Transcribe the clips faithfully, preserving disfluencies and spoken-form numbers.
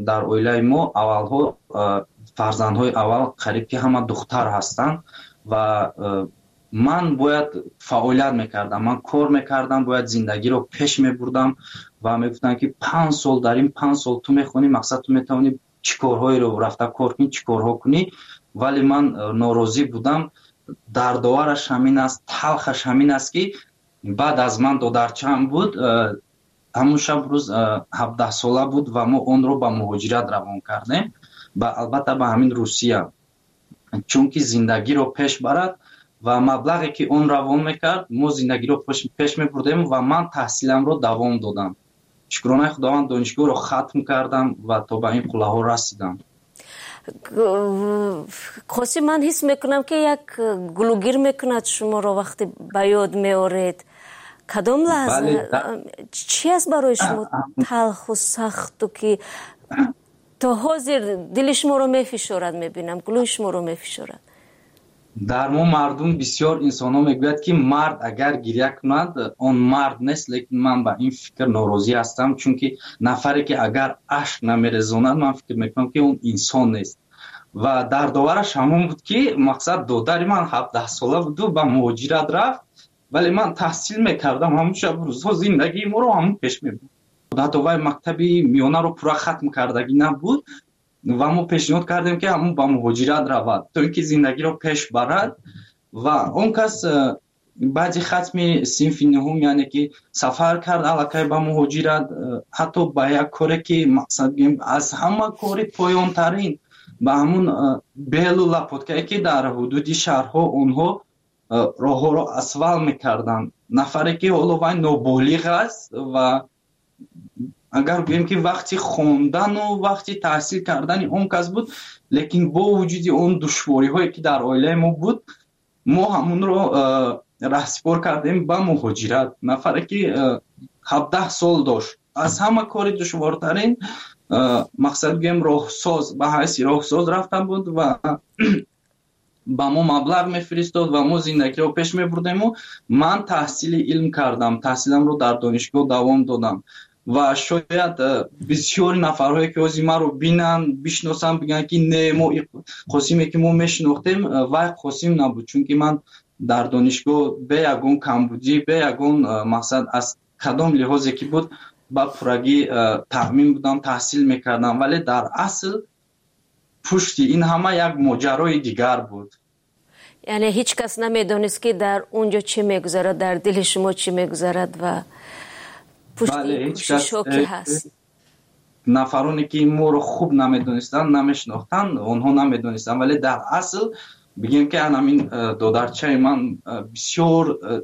Дар оилаи мо аввалҳо фарзандҳои аввал қариб ки ҳама духтар ҳастанд ва ман бояд фаъолият мекардам, ман кор мекардам, бояд зиндагиро пеш мебурдам ва мегуфтанд, ки панҷ сол, дар ин панҷ сол ту мехонӣ, мақсад, ту метавонӣ чӣ корҳоеро рафта кор кунӣ, чӣ корҳо кунӣ. Вале ман норозӣ будам. Дардовараш ҳамин аст, талхаш ҳамин аст, ки баъд аз ман додарчаам буд, ҳамун шаб рӯз ҳабдаҳсола буд ва мо онро ба муҳоҷират равон кардем, албатта ба ҳамин Русия, чунки зиндагиро пеш барад. Ва маблағе ки он равон мекард, мо зиндагиро пеш мебурдем ва ман таҳсиламро давом додам. Шукронаи Худованд, донишгоҳро хатм кардам ва то ба ин қуллаҳо расидам. Қосим, ман ҳис мекунам, ки як гулӯгир мекунад шуморо, вақте ба ёд меоред. Кадом лаҳза, чӣ аст барои шумо талху сахту, ки то ҳозир дили шуморо мефишорад? Мебинам, гулӯи шуморо мефишорад. Дар мо мардум бисёр инсонҳо мегӯяд, ки мард агар гиря кунад, он мард нест, лекин ман ба ин фикр норозӣ ҳастам, чунки нафаре ки агар ашк намерезонад, ман фикр мекунам, ки он инсон нест. Ва дардовараш ҳамон буд, ки мақсад, додари ман ҳабдаҳсола буду ба муҳоҷират рафт, вале ман таҳсил мекардам. Ҳамун шаб рӯзҳо зиндагии моро ҳамун пеш мебурд. Ҳатто вай мактаби миёнаро пурра хатм кардагӣ набуд ва мо пешниҳод кардем, ки ҳамун ба муҳоҷират равад, то ин ки зиндагиро пеш барад. Ва он кас э, баъди хатми синфи нуҳум, яъне ки сафар кард аллакай ба муҳоҷират, э, ҳатто ба як коре ки, мақсад, аз ҳама кори поёнтарин, ба ҳамун э, белу лопаткае, ки дар ҳудуди шаҳрҳо онҳо роҳҳоро асфалт мекарданд. Нафаре ки ҳоло вай ноболиғ аст ва агар гӯем, ки вақти хондану вақти таҳсил кардани он кас буд, лекин бо вуҷуди он душвориҳое, ки дар оилаи мо буд, мо ҳамунро раҳсипор кардем ба муҳоҷират. Нафаре ки ҳабдаҳ сол дошт, аз ҳама кори душвортарин, мақсад, гӯем, роҳсоз, ба ҳайси роҳсоз рафта буд ва ба мо маблағ мефиристод ва мо зиндагиро пеш мебурдему ман таҳсили илм кардам, таҳсиламро дар донишгоҳ давом додам. Ва шояд э, бисёри нафарҳое, ки ҳозир маро бинанд, бишносанд, бигӯянд, ки не, мо Қосиме, ки мо мешинохтем, э, вай Қосим набуд, чунки ман дар донишгоҳ бе ягон камбудӣ, бе ягон э, мақсад, аз кадом лиҳозе ки буд, ба пуррагӣ таъмин будам, таҳсил мекардам. Вале дар асл пушти ин ҳама як моҷарои дигар буд. Яъне ҳеҷ кас намедонист, ки дар он ҷо чӣ мегузарад, дар дили шумо чӣ мегузарад ва пушти кӯшишҳо ки ҳаст. Нафароне, ки моро хуб намедонистанд, намешинохтанд, онҳо намедонистанд. Вале дар асл бигем, ки ҳамин э, додарчаи ман э, бисёр э,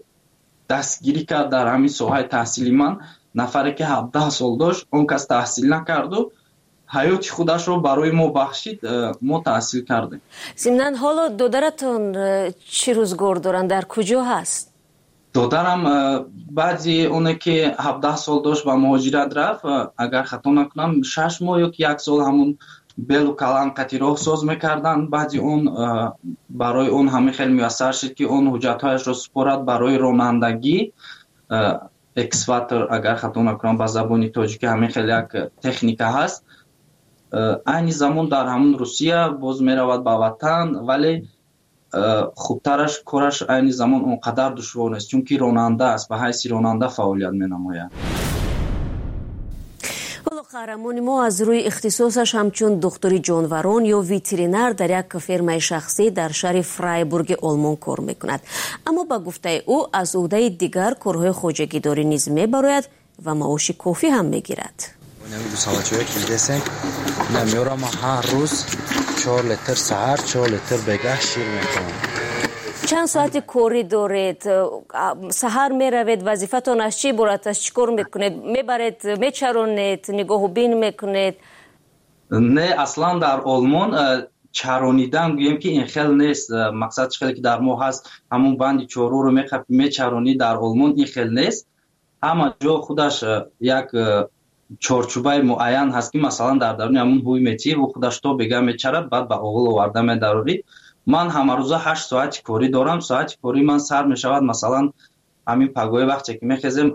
дастгирӣ кард дар ҳамин соҳаи таҳсили ман. Нафаре, ки ҳабдаҳ сол дошт, он кас таҳсил накарду ҳаёти худашро барои мо бахшид, мо таҳсил кардем. Зимнан, ҳоло додаратон чӣ рӯзгор доранд, дар куҷо ҳаст? Додарам баъди оне ки ҳабдаҳ сол дошт, ба муҳоҷират рафт. Агар хато накунам, шаш моҳ ё ки як сол ҳамун белу калан қати роҳсоз мекарданд. Баъди он барои он ҳамин хел муяссар шуд, ки он ҳуҷҷатҳояшро супорад барои ронандагӣ, экскаватор, агар хато накунам, ба забони тоҷикӣ ҳамин хел як техника ҳаст. Айни замон дар ҳамун Русия, боз меравад ба ватан, вале хубтараш, кораш айни замон он қадар душвор нест, чунки ронанда аст, ба ҳайси ронанда фаъолият менамояд. Ҳоло қаҳрамони мо аз рӯи ихтисосаш ҳамчун духтури ҷонварон ё ветеринар дар як фермаи шахсӣ дар шаҳри Фрайбурги Олмон кор мекунад, аммо ба гуфтаи ӯ, аз ӯҳдаи дигар корҳои хоҷагидорӣ низ мебарояд ва маоши кофӣ ҳам мегирад. Гусалачое ки дидесем, ина меорам, ҳар рӯз чор литр саҳар, чор литр бегаҳ шир мекунам. Чанд соати корӣ доред? Саҳар меравед, вазифатон аз чӣ иборат аст? Чӣ кор мекунед? Мебаред, мечаронед, нигоҳубин мекунед? Не, аслан дар Олмон э, чаронидан, гӯем, ки ин хел нест. э, мақсад, чӣ хеле ки дар мо ҳаст, ҳамун банди чорворо мечаронӣ, дар Олмон ин хел нест. Ҳама ҷо худаш э, як чорчӯбаи муайян ҳаст, ки масалан дар даруни ҳамун ҳуй метиҳӣ, ӯ худаш то бега мечарад, баъд ба оғил оварда медарорӣ. Ман ҳамарӯза ҳашт соати корӣ дорам. Соати кории ман сар мешавад, масалан, Ҳамин пагоҳи вақте ки мехезем,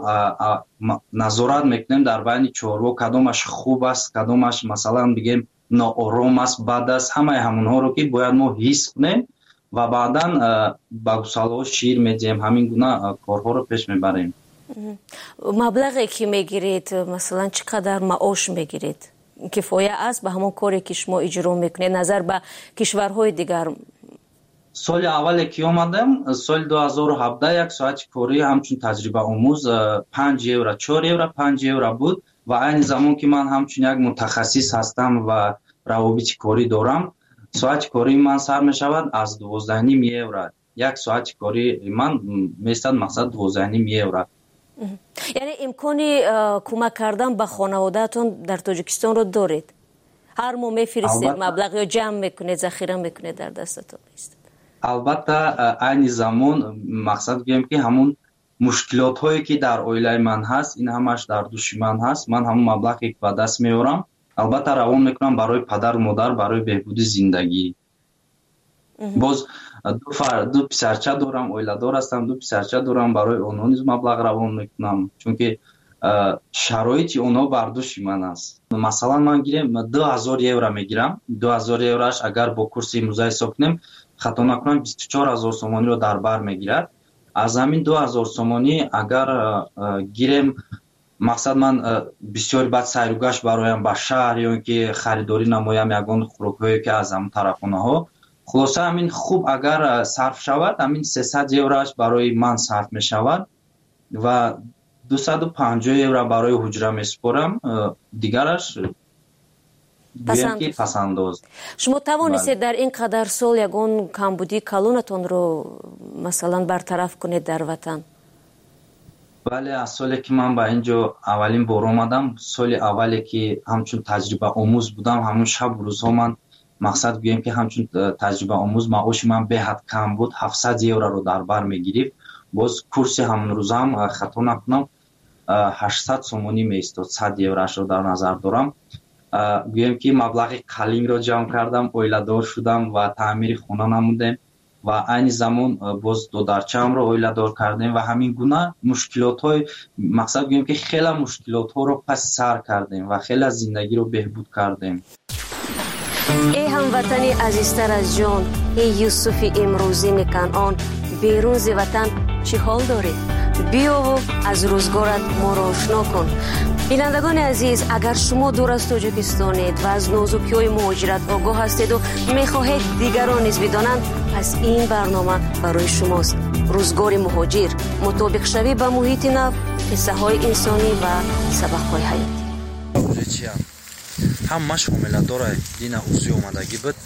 назорат мекунем дар байни чорво, кадомаш хуб аст, кадомаш, масалан, бигем, ноором аст, бад аст. Ҳамаи ҳамонҳоро ки бояд мо ҳис кунем ва баъдан ба гусалаҳо шир медиҳем. Ҳамин гуна корҳоро пеш мебарем. Маблағе ки мегиред, масалан, чӣ қадар маош мегиред, кифоя аст ба ҳамон коре ки шумо иҷро мекунед назар ба кишварҳои дигар? Соли аввале ки омадам, соли ду ҳазору ҳабдаҳ, як соати корӣ ҳамчун таҷрибаомӯз панҷ евро, чор евро, панҷ евро буд. Ва айни замон ки ман ҳамчун як мутахассис ҳастам ва равобити корӣ дорам, соати кории ман сар мешавад аз дувоздаҳним евро. Як соати кории ман меистад, мақсад, дувоздаҳним евро. Яъне имкони кӯмак кардан ба хонаводаатон дар Тоҷикистонро доред? Ҳар моҳ мефиристед маблағ ё ҷамъ мекунед, захира мекунед, дар дастатон меистад? Албатта, айни замон, мақсад, гӯем ки ҳамун мушкилотҳое ки дар оилаи ман ҳаст, ин ҳамаш дар души ман ҳаст. Ман ҳамун маблағе ки ба даст меорам, албатта, равон мекунам барои падару модар, барои беҳбуди зиндагӣ. Боз ду писарча дорам, оиладор ҳастам, ду писарча дорам, барои онҳо низ маблағ равон мекунам, чунки шароити онҳо бар души ман аст. Масалан, ман гирем, ду ҳазор евро мегирам. Ду ҳазор евроаш агар бо курси имрӯза ҳисоб кунем, хато накунам, бисту чор ҳазор сомониро дар бар мегирад. Аз ҳамин ду ҳазор сомонӣ агар гирем, мақсад, ман бисёри баъд сайругашт бароям ба шаҳр ё ин ки харидорӣ намоям ягон хӯрокҳое ки аз ҳамон тарафхонаҳо, хулоса, ҳамин хуб агар сарф шавад, ҳамин сесад евроаш барои ман сарф мешавад ва дусаду панҷоҳ евро барои ҳуҷра месупорам, дигараш ки пасандоз. Шумо тавонистед дар ин қадар сол ягон камбудии калонатонро, масалан, бартараф кунед дар ватан? Бале, аз соле ки ман ба ин ҷо аввалин бор омадам, соли аввале ки ҳамчун таҷрибаомӯз будам, ҳамун шабу рӯзҳо ман, мақсад, гӯем ки ҳамчун таҷрибаомӯз маоши ман беҳад кам буд, ҳафтсад евроро дар бар мегирифт. Боз курси ҳамон рӯзаам, хато накунам, ҳаштсад сомонӣ меистод, сад евроашро дар назар дорам. Гӯем ки маблағи қалингро ҷамъ кардам, оиладор шудам ва таъмири хона намудем ва айни замон боз додарчаамро оиладор кардем ва ҳамин гуна мушкилотҳои, мақсад, гӯем ки хеле мушкилотҳоро паси сар кардем ва хеле зиндагиро беҳбуд кардем. Эй ҳамватани азизтар аз ҷон, эй Юсуфи имрӯзини Канъон, берун зи ватан чӣ ҳол дорӣ? Биёву аз рӯзгорат моро ошно кун. Бинандагони азиз, агар шумо дур аз Тоҷикистонед ва аз нозукиҳои муҳоҷират огоҳ ҳастеду мехоҳед дигарон низ бидонанд, пас ин барнома барои шумост. Рӯзгори муҳоҷир: мутобиқшавӣ ба муҳити нав, қиссаҳои инсонӣ ва сабақҳои ҳаёт. Ҳамаш ҳомиладора. Дина УЗИ омадагӣ буд,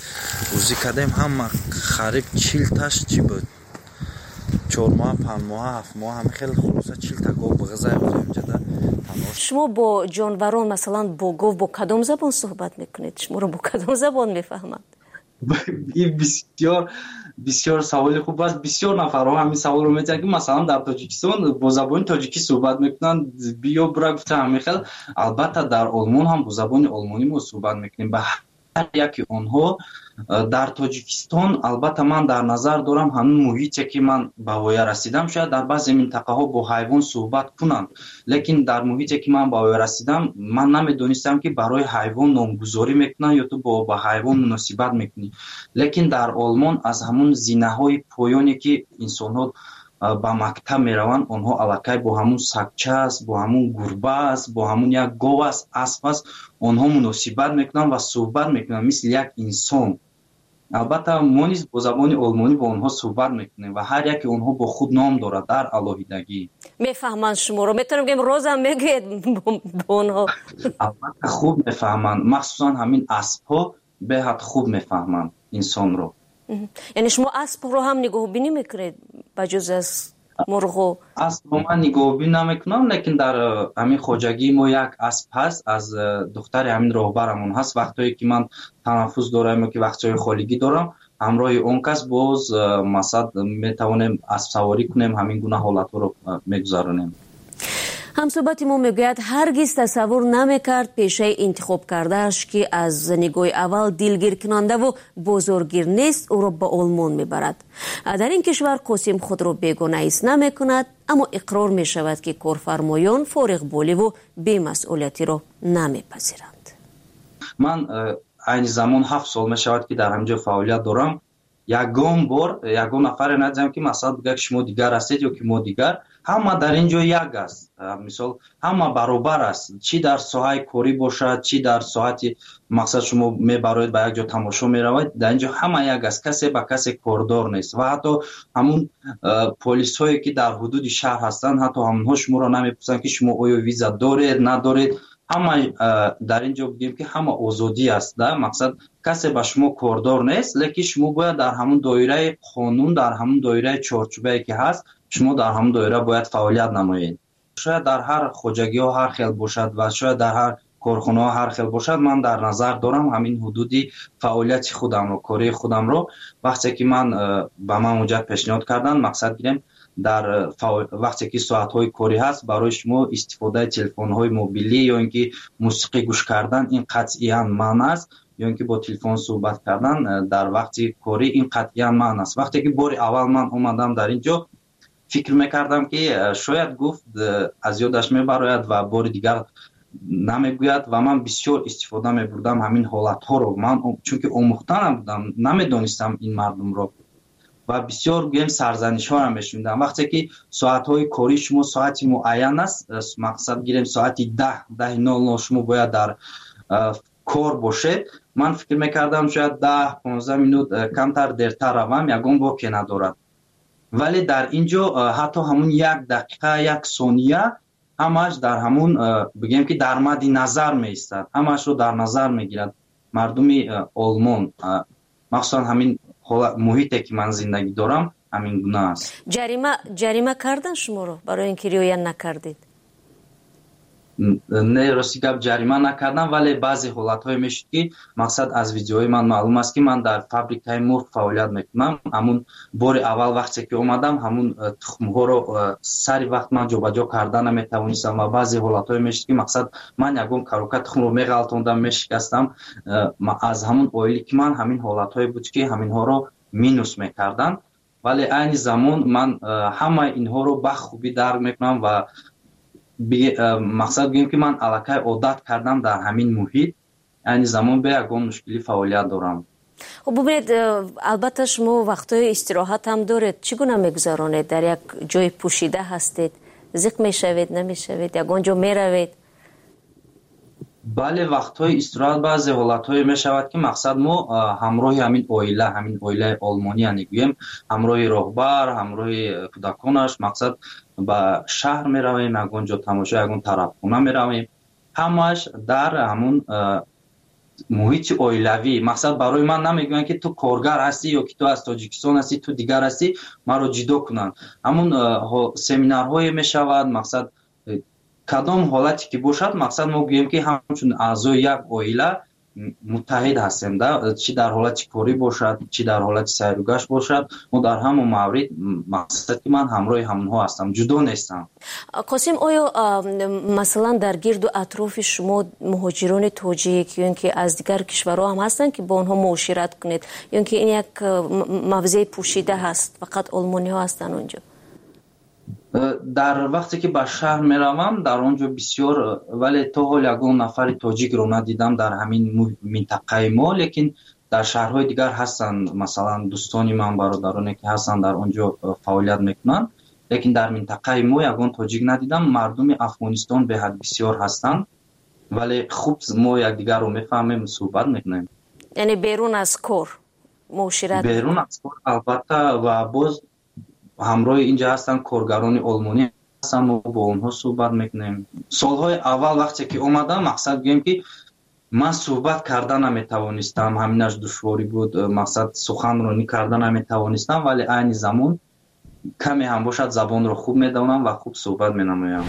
УЗИ кардем, ҳама қариб чилташ чӣ буд, чормоҳа, панҷмоҳа, ҳафтмоҳа, ҳама хеле. Хулоса, чилта гов бағизай инҷада. Шумо бо ҷонварон, масалан бо гов, бо кадом забон суҳбат мекунед? Шуморо бо кадом забон мефаҳманд? Ин бисёр бисёр саволи хуб аст. Бисёр нафарҳо ҳамин саволро метиҳанд, ки масалан дар Тоҷикистон бо забони тоҷикӣ суҳбат мекунанд, биё бура гуфта, ҳамин хел. Албатта, дар Олмон ҳам бо забони олмонӣ мо суҳбат мекунем ба ҳар яки онҳо. Дар Тоҷикистон, албатта, ман дар назар дорам ҳамин муҳите ки ман ба воя расидам, шояд дар баъзе минтақаҳо бо ҳайвон суҳбат кунанд, лекин дар муҳите ки ман ба воя расидам, ман намедонистам, ки барои ҳайвон номгузорӣ мекунанд ё ту бо ба ҳайвон муносибат мекунӣ. Лекин дар Олмон аз ҳамун зинаҳои поёне ки инсонҳо ба мактаб мераванд, онҳо аллакай бо ҳамун сагча аст, бо ҳамун гурба аст, бо ҳамун як гов аст, асп аст, онҳо муносибат мекунанд ва суҳбат мекунанд мисли як инсон. Албатта, мо низ бо забони олмонӣ бо онҳо суҳбат мекунем ва ҳар яке онҳо бо худ ном дорад дар алоҳидагӣ. Мефаҳманд шуморо? Метавонем гӯем, розам мегӯед бо онҳо? Албатта, хуб мефаҳманд. Махсусан ҳамин аспҳо беҳад хуб мефаҳманд инсонро. Яъне шумо аспро ҳам нигоҳубинӣ мекунед ба ҷуз аз мурғу? Аспро ман нигоҳубин намекунам, лекин дар э, ҳамин хоҷагии мо як асп ҳаст, аз э, духтари ҳамин роҳбарамон ҳаст. Вақтҳое ки ман танаффус дорам ё ки вақтҳои холигӣ дорам, ҳамроҳи он кас боз, э, масалан, метавонем аспсаворӣ кунем, ҳамин гуна ҳолатҳоро мегузаронем. Ҳамсӯҳбати мо мегӯяд, ҳаргиз тасаввур намекард пешаи интихобкардааш, ки аз нигоҳи аввал дилгиркунандаву бозоргир нест, ӯро ба Олмон мебарад. Дар ин кишвар Қосим худро бегона ҳис намекунад, Аммо иқрор мешавад, ки корфармоён фориғболиву бемасъулиятиро намепазиранд. Ман айни замон ҳафт сол мешавад, ки дар ҳамин ҷо фаъолият дорам. Ягон бор ягон нафаре надидам, ки масалан бигӯяд, ки шумо дигар ҳастед ё ки мо дигар. Ҳама дар ин ҷо як аст. Мисол, ҳама баробар аст, чӣ дар соҳаи корӣ бошад, чӣ дар соҳати мақсад шумо мебароед, ба як ҷо тамошо меравед, дар ин ҷо ҳама як аст, касе ба касе кордор нест. Ва ҳатто ҳамун полисҳое, ки дар ҳудуди шаҳр ҳастанд, ҳатто ҳамонҳо шуморо намепурсанд, ки шумо оё виза доред, надоред. Ҳама дар ин ҷо бигӯем, ки ҳама озодӣ аст, да, мақсад касе ба шумо кордор нест, лекин шумо бояд дар ҳамун доираи қонун, дар ҳамун доираи чорчӯбае, ки ҳаст, шумо дар ҳамун доира бояд фаъолият намоед. Шояд дар ҳар хоҷагиҳо ҳар хел бошад ва шояд дар ҳар корхонаҳо ҳар хел бошад. Ман дар назар дорам ҳамин ҳудуди фаъолияти худамро, кории худамро. Вақте ки ман ба ман муҷад пешниҳод карданд, мақсад гирем, дар вақте ки соатҳои корӣ ҳаст, барои шумо истифодаи телефонҳои мобилӣ ё ин ки мусиқӣ гӯш кардан ин қатъиян манъ аст, ё ин ки бо телефон суҳбат кардан дар вақти корӣ ин қатъиян манъ аст. Вақте ки бори аввал ман омадам дар ин ҷо, фикр мекардам, ки шояд гуфт, аз ёдаш мебарояд ва бори дигар намегӯяд, ва ман бисёр истифода мебурдам ҳамин ҳолатҳоро. Ман чунки омӯхта набудам, намедонистам ин мардумро ва бисёр гӯем сарзанишҳоро мешунидам. Вақте ки соатҳои кории шумо соати муайян аст, мақсад гирем, соати даҳ, даҳи нол нол шумо бояд дар кор бошед, ман фикр мекардам, шояд даҳ понздаҳ минут камтар дертар равам, ягон боке надорад. Вале дар ин ҷо ҳатто ҳамун як дақиқа, як сония ҳамааш дар ҳамун, бигем ки, дар мадди назар меистад, ҳамаашро дар назар мегирад мардуми Олмон. Махсусан ҳамин муҳите, ки ман зиндагӣ дорам, ҳамин гуна аст. Ҷарима ҷарима кардан шуморо барои ин ки риоя накардед? Не, рости гап, ҷарима накардам, вале баъзе ҳолатҳое мешуд, ки мақсад аз видеои ман маълум аст, ки ман дар фабрикаи мурғ фаъолият мекунам. Ҳамун бори аввал вақте ки омадам, ҳамун тухмҳоро сари вақт ман ҷобаҷо карда наметавонистам ва баъзе ҳолатҳое мешуд, ки мақсад ман ягон коробка тухмро меғалтондам, мешикастам. Аз ҳамун оиле ки ман ҳамин ҳолатҳое буд, ки ҳаминҳоро минус мекарданд. Вале айни замон ман ҳамаи инҳоро ба хубӣ дарк мекунам ва мақсад гӯем, ки ман аллакай одат кардам дар ҳамин муҳит. Айни замон бе ягон мушкилӣ фаъолият дорам. Хуб, бубинед, албатта шумо вақтҳои истироҳат ҳам доред. Чӣ гуна мегузаронед? Дар як ҷои пӯшида ҳастед, зиқ мешавед, намешавед, ягон ҷо меравед? Бале, вақтҳои истироҳат баъзе ҳолатҳое мешавад, ки мақсад мо ҳамроҳи ҳамин оила, ҳамин оилаи олмонӣ, яъне гӯем, ҳамроҳи роҳбар, ҳамроҳи кӯдаконаш, мақсад ба шаҳр меравем, ягон ҷо тамошо, ягон тарабхона меравем. Ҳамааш дар ҳамун муҳити оилавӣ. Мақсад барои ман намегӯянд, ки ту коргар ҳастӣ ё ки ту аз Тоҷикистон ҳастӣ, ту дигар ҳастӣ, маро ҷудо кунанд. Ҳамун семинарҳое мешавад, мақсад кадом ҳолате ки бошад, мақсад мо гӯем, ки ҳамчун аъзои як оила муттаҳид ҳастем, да, чӣ дар ҳолати корӣ бошад, чӣ дар ҳолати сайругашт бошад, мо дар ҳамон маврид, мақсад ки ман ҳамроҳи ҳамонҳо ҳастам, ҷудо нестам. Қосим, оё масалан дар гирду атрофи шумо муҳоҷирони тоҷик ё ин ки аз дигар кишварҳо ҳам ҳастанд, ки бо онҳо муошират кунед, ё ин ки ин як мавзеи пӯшида ҳаст, фақат олмониҳо ҳастанд онҷо? Дар вақте ки ба шаҳр меравам, дар он ҷо бисёр, вале то ҳол ягон нафари тоҷикро надидам дар ҳамин минтақаи мо. Лекин дар шаҳрҳои дигар ҳастанд, масалан дӯстони ман, бародароне, ки ҳастанд, дар он ҷо фаъолият мекунанд, лекин дар минтақаи мо ягон тоҷик надидам. Мардуми Афғонистон беҳад бисёр ҳастанд, вале хуб мо якдигарро мефаҳмем, суҳбат мекунем. Яъне берун аз кор муошират? Берун аз кор, албатта. Ва боз ҳамроҳи инҷа ҳастанд коргарони олмонӣ ҳастанд, мо бо онҳо суҳбат мекунем. Солҳои аввал вақте ки омадам, мақсад гӯем, ки ман суҳбат карда наметавонистам, ҳаминаш душворӣ буд, мақсад суханронӣ карда наметавонистам, вале айни замон каме ҳам бошад забонро хуб медонам ва хуб суҳбат менамоям.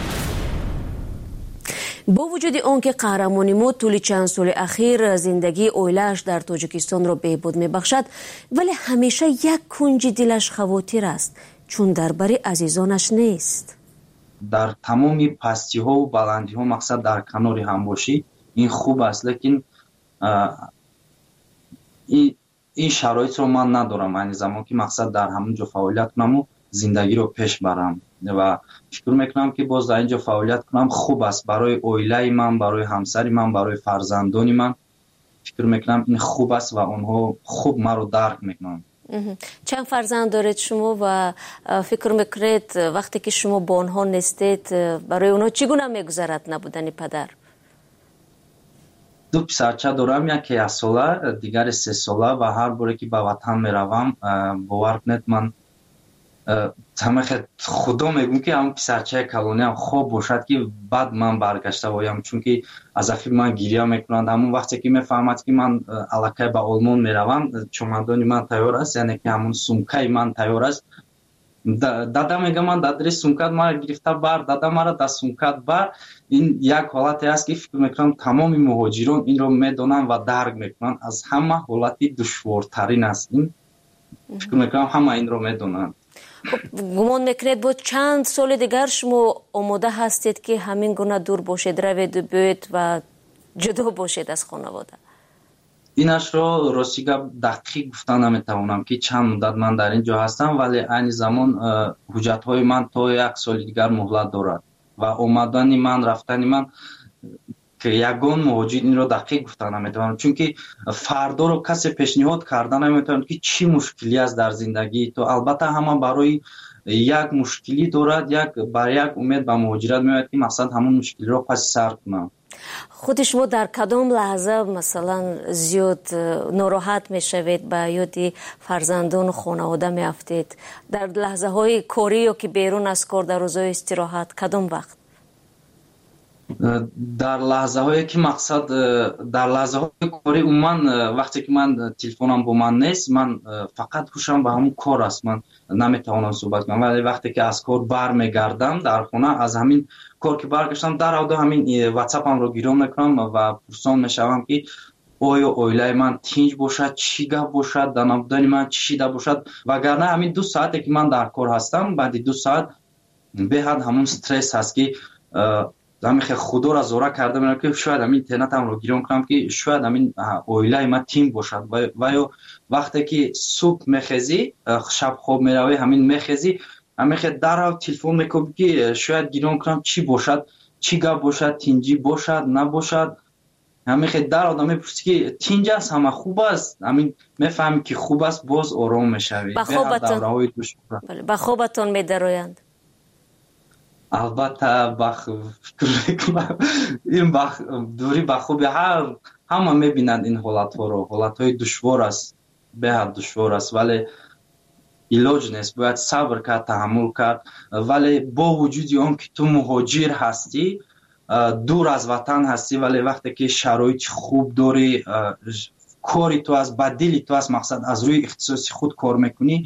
Бо вуҷуди он ки қаҳрамони мо тӯли чанд соли ахир зиндагии оилааш дар Тоҷикистонро беҳбуд мебахшад, вале ҳамеша як кунҷи дилаш хавотир аст, чун дар бари азизонаш нест. Дар тамоми пастиҳову баландиҳо мақсад дар канори ҳам бошӣ, ин хуб аст, лекин ин шароитро ман надорам айни замон, ки мақсад дар ҳамон ҷо фаъолият кунаму зиндагиро пеш барам. Ва фикр мекунам, ки боз дар ин ҷо фаъолият кунам хуб аст барои оилаи ман, барои ҳамсари ман, барои фарзандони ман. Фикр мекунам, ин хуб аст ва онҳо хуб маро дарк мекунанд. Чанд фарзанд доред шумо ва фикр мекунед, вақте ки шумо бо онҳо нестед, барои онҳо чӣ гуна мегузарад набудани падар? Ду писарча дорам, яке яксола, дигаре сесола, ва ҳар боре ки ба ватан меравам, бовар кунед, ман ҳамахел худо мегӯм, ки ҳамн писарчаи калониам хоб бошад, ки баъд ман баргашта оям, чунки аз афи ман гиря мекунанд. Ҳамон вақте ки мефаҳмад, ки ман аллакай ба Олмон меравам, чомадони ман тайёр аст, яъне ки ҳамон сумкаи ман тайёр аст, дада мега, ман дадри сумкат мара гирифта бар, дада, мара дар сумкат бар. Ин як ҳолате аст, ки фикр мекунам, тамоми муҳоҷирон инро медонанд ва дарк мекунанд. Аз ҳама ҳолати душвортарин аст ин. Фикр мекунам, ҳама инро медонанд. Хуб, гумон мекунед, бо чанд соли дигар шумо омода ҳастед, ки ҳамин гуна дур бошед, раведу биёед ва ҷудо бошед аз хонавода? Инашро, рости гап, дақиқ гуфта наметавонам, ки чанд муддат ман дар ин ҷо ҳастам, вале айни замон ҳуҷҷатҳои ман то як соли дигар муҳлат дорад ва омадани ман, рафтани ман, ягон муҳоҷир инро дақиқ гуфта наметавонам, чунки фардоро касе пешниҳод карда наметавонад, ки чӣ мушкилӣ аст дар зиндагии ту. Албатта, ҳама барои як мушкилӣ дорад, як бар як умед ба муҳоҷират меояд, ки мақсад ҳамон мушкилиро паси сар кунам. Худи шумо дар кадом лаҳза, масалан, зиёд э, нороҳат мешавед, ба ёди фарзандону хонавода меафтед? Дар лаҳзаҳои корӣ ё ки берун аз кор, дар рӯзҳои истироҳат, кадом вақт? Дар лаҳзаҳое ки мақсад, э, дар лаҳзаҳои корӣ, умуман, э, вақте ки ман э, телефонам бо ман нест, ман фақат ҳушам ба ҳамон кор аст, ман наметавонам суҳбат кунам. Вале вақте ки аз кор бармегардам, дар хона аз ҳамин кор ки баргаштам, даравду ҳамин ватсапамро гирон мекунам ва пурсон мешавам, ки оё оилаи ман тинҷ бошад, чӣ гап бошад, дар набудани ман чӣ шида бошад. Вагарна ҳамин ду саате ки ман дар кор ҳастам, баъди ду саат беҳад ҳамон стресс ҳаст, ки ҳамин худоро зора карда мерам, ки шояд ҳамин интернетамро гирон кунам, ки шояд ҳамин оилаи ман тинҷ бошад. Ва ё вақте ки субҳ мехезӣ, шаб хоб меравӣ, ҳамин мехезӣ, ҳамин дарав телефон мекунӣ, ки шояд гирон кунам, чӣ бошад, чӣ гап бошад, тинҷӣ бошад, набошад. Ҳамин дар одам мепурсӣ, ки тинҷ аст, ҳама хуб аст, ҳамин мефаҳмӣ, ки хуб аст, боз ором мешавӣ. Ба хобатон медароянд? Албатта, фикр мекунам, ин дурӣ ба хуби ҳар ҳама мебинанд ин ҳолатҳоро. Ҳолатҳои душвор аст, беҳад душвор аст, вале илоҷ нест, бояд сабр кард, таҳаммул кард. Вале бо вуҷуди он ки ту муҳоҷир ҳастӣ, дур аз ватан ҳастӣ, вале вақте ки шароити хуб дорӣ, кори ту аст, ба дили ту аст, мақсад, аз рӯи ихтисоси худ кор мекунӣ,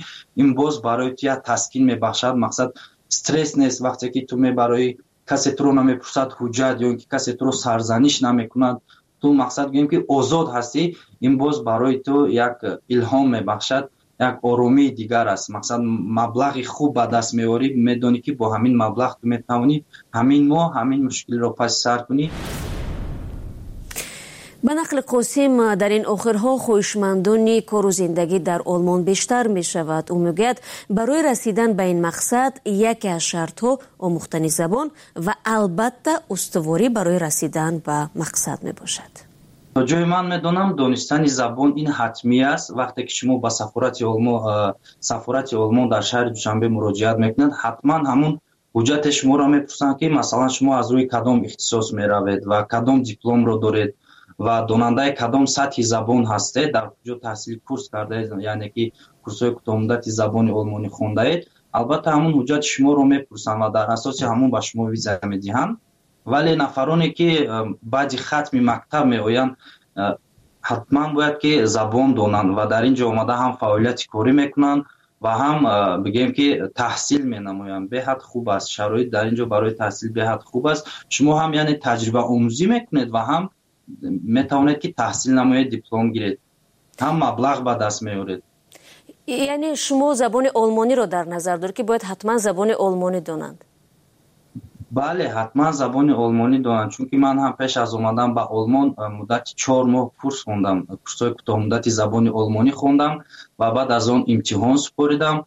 ин боз барои ту як таскин мебахшад. Мақсад, стресс нест. Вақте ки ту мебароӣ, касе туро намепурсад ҳуҷҷат ё ин ки касе туро сарзаниш намекунад, ту, мақсад, гӯем ки озод ҳастӣ, ин боз барои ту як илҳом мебахшад, як оромии дигар аст. Мақсад, маблағи хуб ба даст меорӣ, медонӣ, ки бо ҳамин маблағ ту метавонӣ ҳамин моҳ ҳамин мушкилиро паси сар кунӣ. Ба нақли Қосим, дар ин охирҳо хоҳишмандони кору зиндагӣ дар Олмон бештар мешавад. Ӯ мегӯяд, барои расидан ба ин мақсад яке аз шартҳо омӯхтани забон ва албатта устуворӣ барои расидан ба мақсад мебошад. То ҷое ман медонам, донистани забон ин ҳатмӣ аст. Вақте ки шумо ба сафорати Олмон сафорати Олмон дар шаҳри Душанбе муроҷиат мекунед, ҳатман ҳамун ҳуҷҷати шуморо мепурсанд, ки масалан, шумо аз рӯи кадом ихтисос меравед ва кадом дипломро доред ва донандаи кадом сатҳи забон ҳастед, дар куҷо таҳсили курс кардаед, яъне ки курсҳои кӯтоҳмуддати забони олмонӣ хондаед. Албатта, ҳамун ҳуҷҷати шуморо мепурсанд ва дар асоси ҳамун ба шумо виза медиҳанд. Вале нафароне ки баъди хатми мактаб меоянд, ҳатман бояд ки забон донанд ва дар ин ҷо омада ҳам фаъолияти корӣ мекунанд ва ҳам, бигӯем ки, таҳсил менамоянд. Беҳад хуб аст шароит дар ин ҷо барои таҳсил, беҳад хуб аст. Шумо ҳам, яъне, таҷрибаомӯзӣ мекунед ва ҳам метавонед, ки таҳсил намоед, диплом гиред, ҳам маблағ ба даст меоред. Яъне шумо забони олмониро дар назар доред, ки бояд ҳатман забони олмонӣ донанд? Бале, ҳатман забони олмонӣ донанд, чунки ман ҳам пеш аз омадан ба Олмон муддати чор моҳ курс хондам, курсҳои кӯтоҳмуддати забони олмонӣ хондам ва баъд аз он имтиҳон супоридам.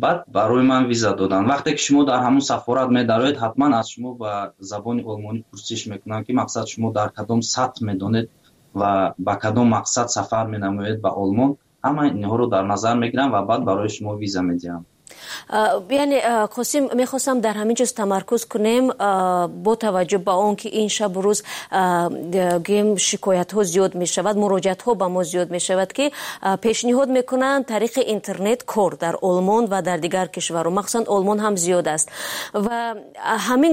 Баъд барои ман виза доданд. Вақте ки шумо дар ҳамун сафорат медароед, ҳатман аз шумо ба забони олмонӣ пурсиш мекунанд, ки мақсад шумо дар кадом сатҳ медонед ва ба кадом мақсад сафар менамоед ба Олмон. Ҳама инҳоро дар назар мегиранд ва баъд барои шумо виза медиҳанд. Яъне, Қосим, мехостам дар ҳамин чиз тамаркуз кунем, бо таваҷҷӯҳ ба он ки ин шабу рӯз, гӯем, шикоятҳо зиёд мешавад, муроҷиатҳо ба мо зиёд мешавад, ки пешниҳод мекунанд тариқи интернет кор дар Олмон ва дар дигар кишварҳо, махсусан Олмон ҳам зиёд аст, ва ҳамин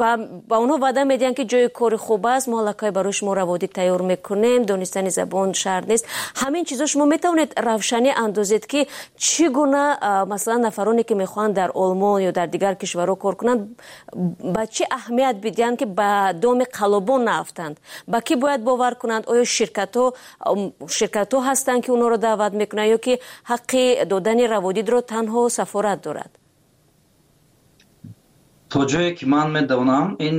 ва ба онҳо ваъда медиҳанд, ки ҷои кори хуб аст, мо аллакай барои шумо раводид тайёр мекунем, донистани забон шарт нест. Ҳамин чизо шумо метавонед равшанӣ андозед, ки чӣ гуна, масалан, нафароне ки мехоҳанд дар Олмон ё дар дигар кишварҳо кор кунанд, ба чӣ аҳамият бидиҳанд, ки ба доми қаллобон наафтанд? Ба кӣ бояд бовар кунанд? Оё ширкатҳо ширкатҳо ҳастанд, ки онҳоро даъват мекунанд, ё ки ҳаққи додани раводидро танҳо сафорат дорад? То ҷое ки ман медонам, ин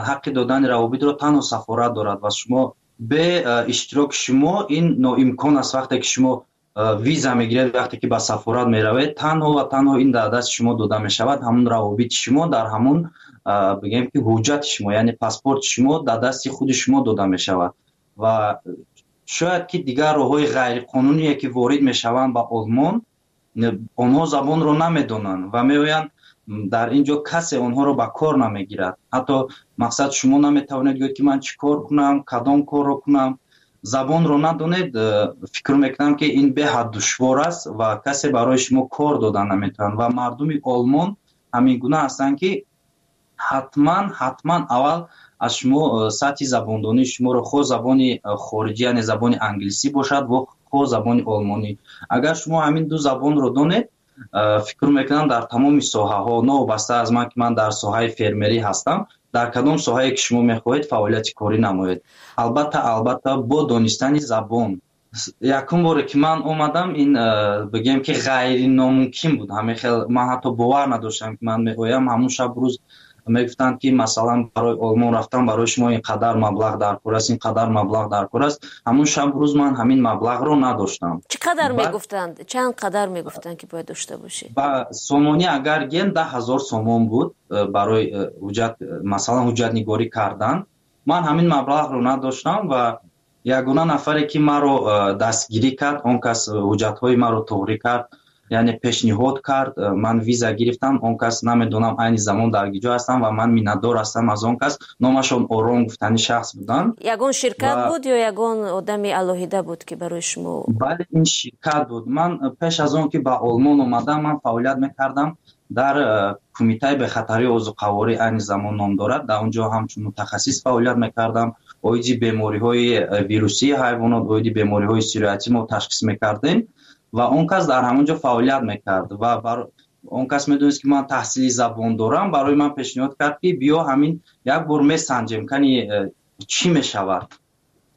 ҳаққи додани равобитро танҳо сафорат дорад ва шумо бе иштироки шумо ин ноимкон аст. Вақте ки шумо виза мегиред, вақте ки ба сафорат меравед, танҳо ва танҳо ин дар дасти шумо дода мешавад. Ҳамун равобити шумо дар ҳамун, бигем ки, ҳуҷҷати шумо, яъне паспорти шумо дар дасти худи шумо дода мешавад. Ва шояд ки дигар роҳҳои ғайриқонуние ки ворид мешаванд ба Олмон, онҳо забонро намедонанд ва меоянд дар ин ҷо, касе онҳоро ба кор намегирад. Ҳатто мақсад шумо наметавонед гӯед, ки ман чӣ кор кунам, кадом корро кунам. Забонро надонед, фикр мекунам, ки ин беҳад душвор аст ва касе барои шумо кор дода наметавонад. Ва мардуми Олмон ҳамин гуна ҳастанд, ки ҳатман ҳатман аввал аз шумо сатҳи забондонии шуморо, хоҳ забони хориҷӣ, яъне забони англисӣ бошад, хоҳ забони олмонӣ, агар шумо ҳамин ду забонро донед, фикр мекунам, дар тамоми соҳаҳо, новобаста аз ман ки ман дар соҳаи фермерӣ ҳастам, дар кадом соҳае ки шумо мехоҳед фаъолияти корӣ намоед, албатта албатта бо донистани забон. Якум боре ки ман омадам, ин, бигем ки, ғайриномумкин буд. Ҳамин хел ман ҳатто бовар надоштам, ки ман меоям. Ҳамун шаб рӯз мегуфтанд, ки масалан барои Олмон рафтан барои шумо ин қадар маблағ даркор аст, ин қадар маблағ даркор аст. Ҳамун шаб рӯз ман ҳамин маблағро надоштам. Чӣ қадар мегуфтанд? Чанд қадар мегуфтанд, ки бояд дошта бошӣ? Ба сомонӣ агар гем, даҳ ҳазор сомон буд барои ҳуҷҷат, масалан ҳуҷҷатнигорӣ кардан. Ман ҳамин маблағро надоштам ва ягона нафаре ки маро дастгирӣ кард, он кас ҳуҷҷатҳои маро туғрӣ кард, яъне пешниҳод кард, ман виза гирифтам. Он кас намедонам айни замон дар куҷо ҳастам ва ман миннатдор ҳастам аз он кас. Номашон Ором гуфтани шахс буданд. Ягон ширкат буд ё ягон одами алоҳида буд, ки барои шумо? Бале, ин ширкат буд. Ман пеш аз он ки ба Олмон омадам, ман фаъолият мекардам дар Кумитаи бехатарии озуқаворӣ, айни замон ном дорад. Дар он ҷо ҳамчун мутахассис фаъолият мекардам. Оиди бемориҳои вирусии ҳайвонот, оиди бемориҳои сироятӣ мо ташхис мекардем ва он кас дар ҳамон ҷо фаъолият мекард. Ва он кас медонист, ки ман таҳсили забон дорам, барои ман пешниҳод кард, ки биё, ҳамин як бор месанҷем, кани чӣ мешавад.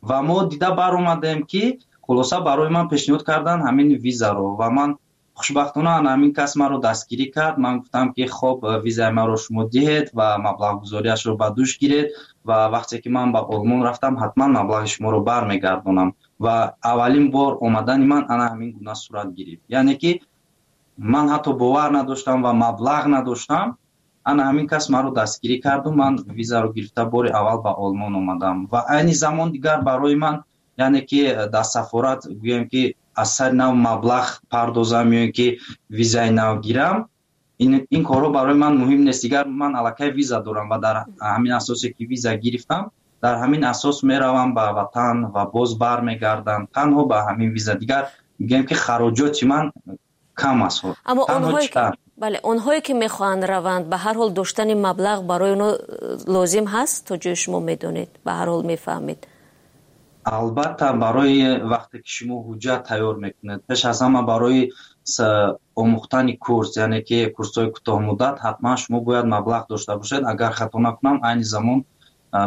Ва мо дида баромадем, ки хулоса барои ман пешниҳод карданд ҳамин визаро ва ман хушбахтона ҳамин кас маро дастгирӣ кард. Ман гуфтам, ки хоб, визаи маро шумо диҳед ва маблағгузориашро ба дӯш гиред ва вақте ки ман ба Олмон рафтам, ҳатман маблағи шуморо бармегардонам. Ва аввалин бор омадани ман ана ҳамин гуна сурат гирифт, яъне ки ман ҳатто бовар надоштам ва маблағ надоштам. Ана ҳамин кас маро дастгирӣ карду ман визаро гирифта бори аввал ба Олмон омадам. Ва айни замон дигар барои ман, яъне ки дар сафорат, гӯем ки, аз сари нав маблағ пардозам ё ин ки визаи нав гирам, ин корҳо барои ман муҳим нест. Дигар ман аллакай виза дорам ва дар ҳамин асосе ки виза гирифтам, дар ҳамин асос меравам ба ватан ва боз бармегардам танҳо ба ҳамин виза. Дигар мегӯем ки хароҷоти ман кам аст. Аммо онҳое, бале, онҳое ки мехоҳанд раванд, ба ҳар ҳол доштани маблағ барои онҳо лозим ҳаст, то ҷои шумо медонед, ба ҳар ҳол мефаҳмед. Албатта, барои вақте ки шумо ҳуҷҷат тайёр мекунед, пеш аз ҳама барои омӯхтани курс, яъне ки курсҳои кӯтоҳмуддат, ҳатман шумо бояд маблағ дошта бошед. Агар хато накунам, айни замон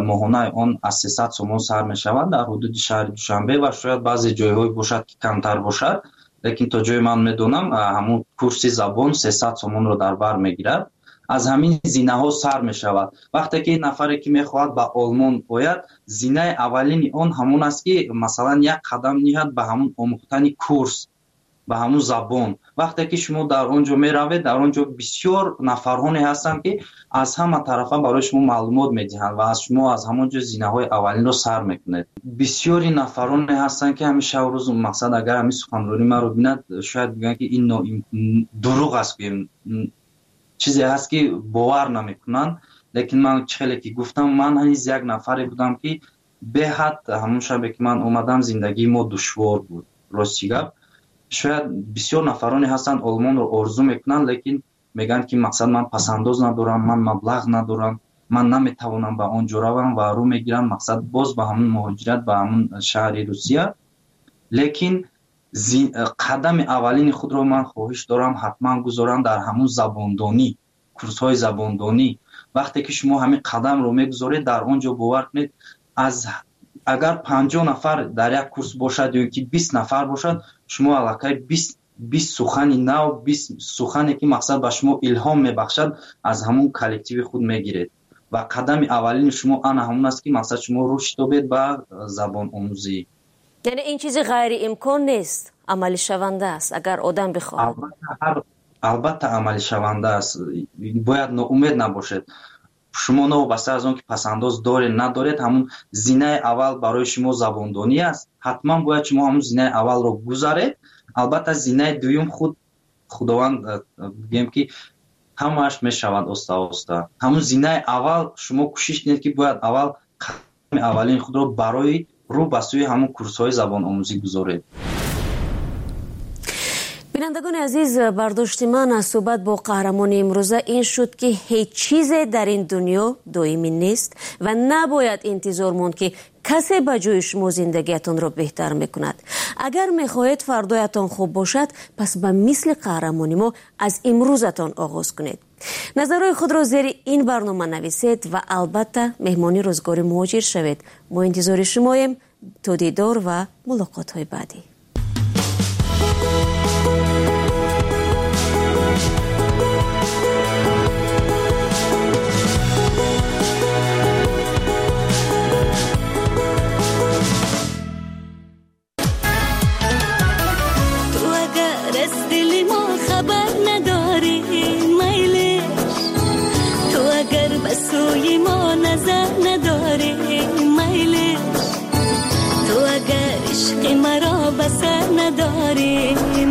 моҳонаи он аз сесад сомон сар мешавад дар ҳудуди шаҳри Душанбе ва шояд баъзе ҷойҳое бошад, ки камтар бошад, лекин то ҷое ман медонам, ҳамун курси забон сесад сомонро дар бар мегирад. Аз ҳамин зинаҳо сар мешавад. Вақте ки нафаре ки мехоҳад ба Олмон ояд, зинаи аввалини он ҳамон аст, ки масалан як қадам ниҳад ба ҳамун омӯхтани курс. ба ҳамун забон. Вақте ки шумо дар он ҷо меравед, дар он ҷо бисёр нафарҳоне ҳастанд, ки аз ҳама тарафа барои шумо маълумот медиҳанд ва аз шумо аз ҳамон ҷо зинаҳои аввалинро сар мекунед. Бисёри нафароне ҳастанд, ки ҳамин шаб рӯз мақсад агар ҳамин суханронии маро бинад, шояд бигӯянд, ки ин дурӯғ аст, гӯем чизе ҳаст, ки бовар намекунанд. Лекин ман чӣ хеле ки гуфтам, ман ҳанӯз як нафаре будам, ки беҳад ҳамон шабе ки ман омадам, зиндагии мо душвор буд. Рости гап, шояд бисёр нафароне ҳастанд Олмонро орзу мекунанд, лекин мегӯянд, ки мақсад ман пасандоз надорам, ман маблағ надорам, ман наметавонам ба он ҷо равам ва рӯ мегирам мақсад боз ба ҳамон муҳоҷират, ба ҳамон шаҳри Русия. Лекин қадами аввалини худро ман хоҳиш дорам ҳатман гузорам дар ҳамон забондонӣ, курсҳои забондонӣ. Вақте ки шумо ҳамин қадамро мегузоред, дар он ҷо бовар кунед, аз агар панҷоҳ нафар дар як курс бошад ё ки бист нафар бошад, шумо аллакай бист сухани нав, бист сухане ки мақсад ба шумо илҳом мебахшад, аз ҳамон коллективи худ мегиред. Ва қадами аввалини шумо ана ҳамон аст, ки мақсад шумо рушд ёбед ба забономӯзӣ. Яъне ин чизи ғайриимкон нест, амалишаванда аст агар одам бихоҳад. Албатта амалишаванда аст, бояд ноумед набошед. Шумо новобаста аз он ки пасандоз доред надоред, ҳамун зинаи аввал барои шумо забондонӣ аст. Ҳатман бояд шумо ҳамун зинаи аввалро гузаред. Албатта зинаи дуюм худ Худованд бигӯем, ки ҳамааш мешавад оста-оста. Ҳамун зинаи аввал шумо кӯшиш кунед, ки бояд аввал қадами аввалини худро барои рӯ ба сӯи ҳамун курсҳои забономӯзӣ гузоред. Бинандагони азиз, бардошти ман аз суҳбат бо қаҳрамони имрӯза ин шуд, ки ҳеҷ чизе дар ин дунё доимӣ нест ва набояд интизор монд, ки касе ба ҷои шумо зиндагиятонро беҳтар мекунад. Агар мехоҳед фардоятон хуб бошад, пас ба мисли қаҳрамони мо аз имрӯзатон оғоз кунед. Назарҳои худро зери ин барнома нависед ва албатта меҳмони рӯзгори муҳоҷир шавед. Мо интизори шумоем. То дидор ва мулоқотҳои баъдӣ. سوی ما نظر نداری میلش، تو اگر عشق مرا بسر نداری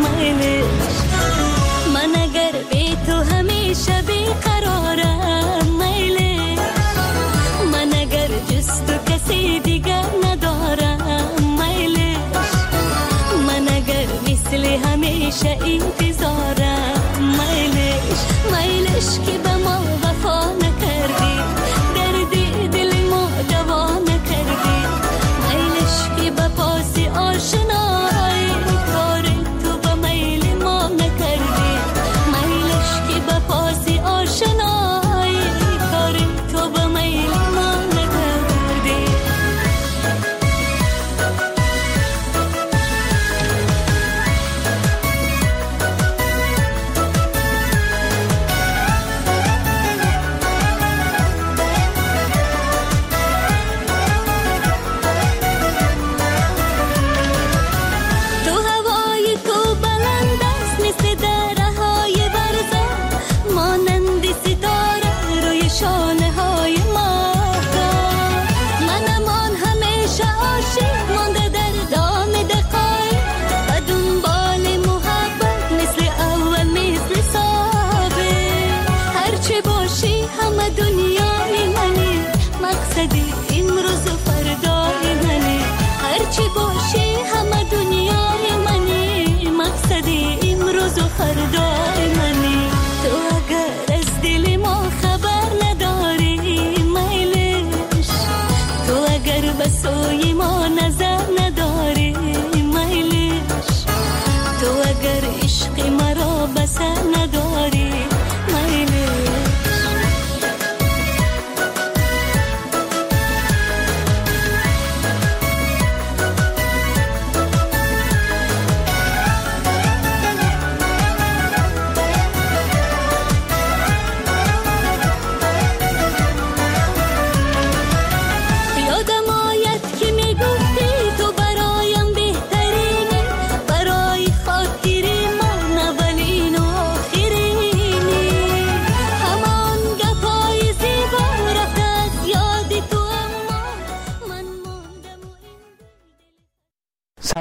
میلش، من اگر بی تو همیشه بیقرارم میلش، من اگر جز تو کسی دیگر ندارم میلش، من اگر مثل همیشه این